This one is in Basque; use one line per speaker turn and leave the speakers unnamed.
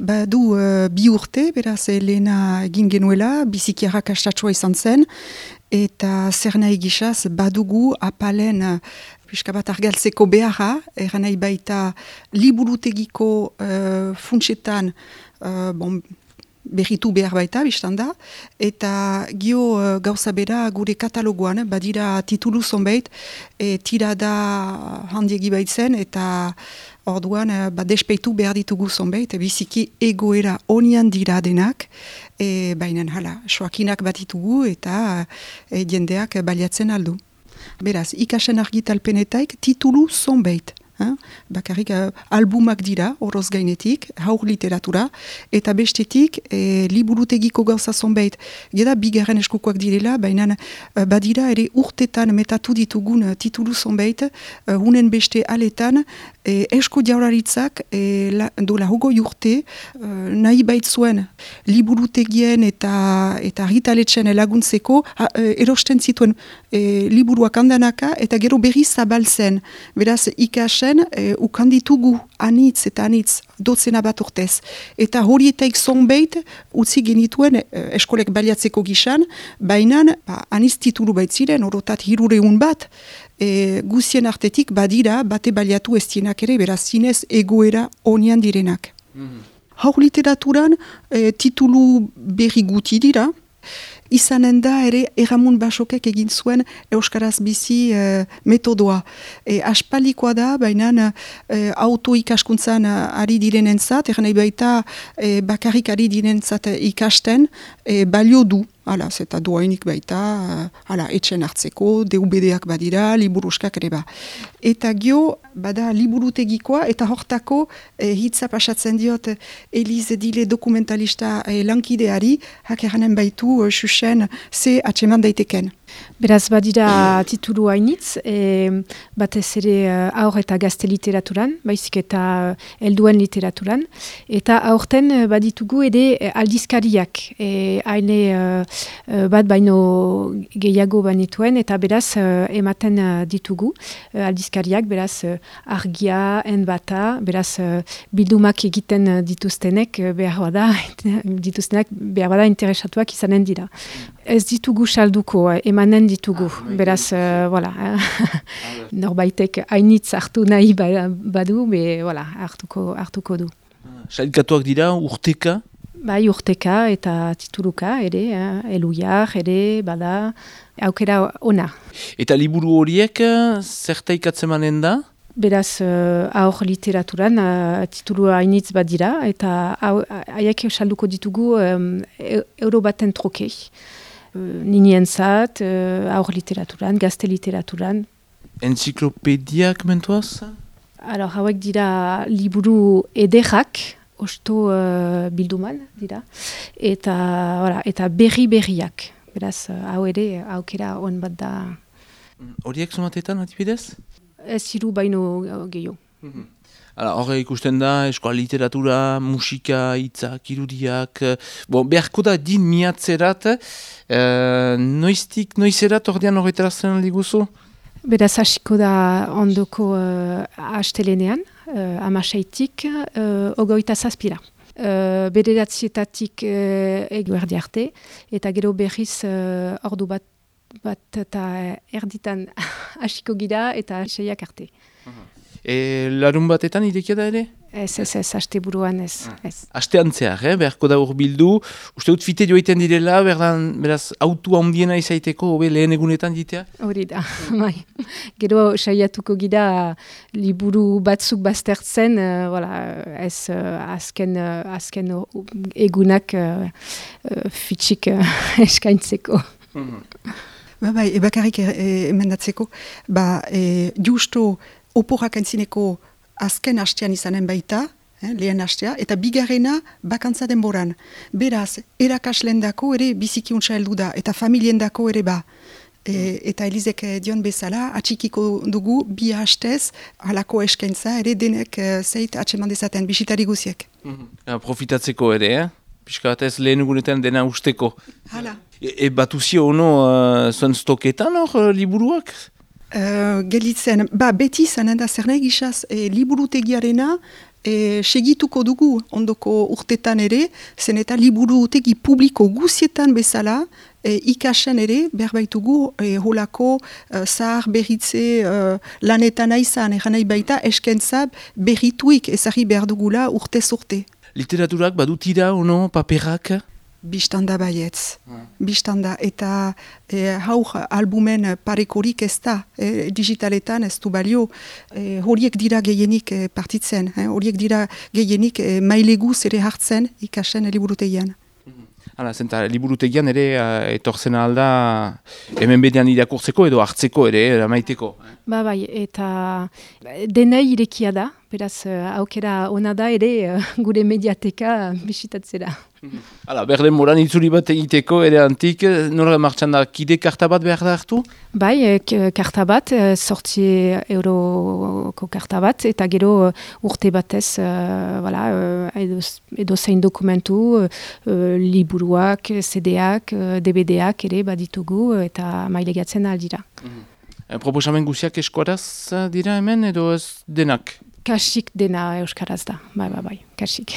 Badu 2 urte, beraz, lehena egin genuela, biziki arrakastatsua izan zen, eta zer nahi gisaz, badugu apalen pixka bat argaltzeko beharra, eran nahi baita liburutegiko funtsetan, berritu behar baita, biztan da, eta gio gauza bera gure katalogoan, badira titulu zonbait, tirada handiegi baitzen, eta orduan despeitu behar ditugu zonbait, biziki egoera onian dira denak, baina hala, soakinak bat ditugu, eta jendeak baliatzen aldu. Beraz, ikasen argitalpenetaik titulu zonbait. Bakarrik albumak dira, oroz gainetik, haur literatura, eta bestetik liburutegiko gauza zonbait. Geda bigarren eskukoak direla, baina badira ere urtetan metatu ditugun titulu zonbait, hunen beste aletan, esko jaurlaritzak dola hogoi urte nahi baitzuen liburutegien eta argitaletxen laguntzeko erosten zituen liburuak handanaka eta gero berri zabaltzen. Beraz, ikasen ukanditugu anitz eta anitz dotzena bat urtez. Eta horietaik zonbait utzi genituen eskolek baliatzeko gisan, baina anitz titulu baitziren, orotat 300 bat, guzien artetik badira bate baliatu ez dienak ere, beraz zinez egoera onian direnak. Haur literaturan titulu berri guti dira, izanen da ere Erramun Basokek egin zuen Euskaraz bizi metodoa. Aspalikoa da, baina auto ikaskuntzan ari direnentzat, nahi baita bakarrik ari direnentzat ikasten, balio du. Hala, zeta doainik baita, etxen hartzeko, DVD-ak badira, liburuskak ere ba. Eta gio, bada liburutegikoa, eta hortako hitza pasatzen diot Eliz Dile dokumentalista lankideari, hakeranen baitu xuxen ze atseman daiteken.
Beraz, badira titulu hainitz, batez ere aur eta gazte literaturan, baizik eta helduen literaturan, eta aurten baditugu ere aldizkariak, haine bat baino gehiago banituen, eta beraz ematen ditugu aldizkariak, beraz argia, enbata, beraz bildumak egiten dituztenek behar bada interesatuak izanen dira. Ez ditugu salduko, emanen ditugu, beraz, norbaitek hainitz hartu nahi badu, hartuko du.
Sailkatuak dira urteka?
Bai, urteka eta tituluka ere, eluiar ere, bada, aukera ona. Eta
liburu horiek zertaik manen da?
Beraz, aur literaturan titulu hainitz bat dira, eta haiek salduko ditugu euro baten trokei. Ninientzat, aur literaturan, gazte literaturan.
Enziklopediak mentuaz?
Hauek dira liburu ederrak, osto bilduman dira, eta berriak. Beraz, hau ere, aukera on bat da.
Horiek somatetan, atibidez?
Ez hiru baino gehiago.
Horre ikusten da, eskola literatura, musika, hitzak, irudiak, beharko da din miatzerat, noizerat ordean horretarazten diguzu?
Beraz hasiko da ondoko astelenean, 16tik, 27ra. Bederatzietatik eguerdi arte, eta gero berriz ordu bat eta erditan hasiko gira eta 6ak arte.
Larun batetan irekia da ere?
Ez, haste buruan ez.
Hastean zehar, beharko da urbildu. Uste dut fite joiten direla, beraz, autua ondiena izaiteko, lehen egunetan ditea?
Hori da, bai. Gero saiatuko gira liburu batzuk baztertzen, ez azken egunak fitxik eskaintzeko.
Bai, bakarrik emendatzeko, justo oporak entzineko azken hastean izanen baita, lehen hastea, eta bigarrena bakantza denboran. Beraz, erakaslendako ere bizikiuntza heldu da, eta familiendako ere ba. Eta Elizek dion bezala, atxikiko dugu bi hastez, halako eskaintza ere denek zeit atseman dezaten, bisitari guziek.
Profitatzeko ere, Piskat ez lehen egunetan dena usteko.
Hala.
Batuzio ono zuen stoketan hor liburuak?
Gelitzen, beti zanen da zer nahi gizaz liburutegiarena segituko dugu ondoko urtetan ere, zen eta liburutegi publiko guzietan bezala, ikasen ere, berbaitugu, holako zahar berritze lanetan aizan, nahi baita eskentzab berrituik ezagri behar dugula urtez urte.
Literaturak badutira, ono, paperak?
Bistanda baietz. Bistanda. Eta haur albumen parekorik ez da. Digitaletan ez du balio. Horiek dira gehienik partitzen. Horiek dira gehienik maileguz ere hartzen ikasen liburutegian.
Hala, zenta liburutegian ere etortzen alda hemen bedean irakurtzeko edo hartzeko ere, maiteko.
Bai, eta denei irekia da, beraz aukera ona da ere gure mediateka bisitatzera.
Hala, berden moran itzuri bat egiteko ere antik, nola martxan da, kide karta bat behar da hartu?
Bai, karta bat, 8 euroko karta bat, eta gero urte batez, edo zein dokumentu, liburuak, CD-ak, DVD-ak ere baditugu, eta mailegatzen aldira.
Proposamen guziak eskuaraz dira hemen, edo ez denak?
Kasik dena euskaraz da, bai, kasik.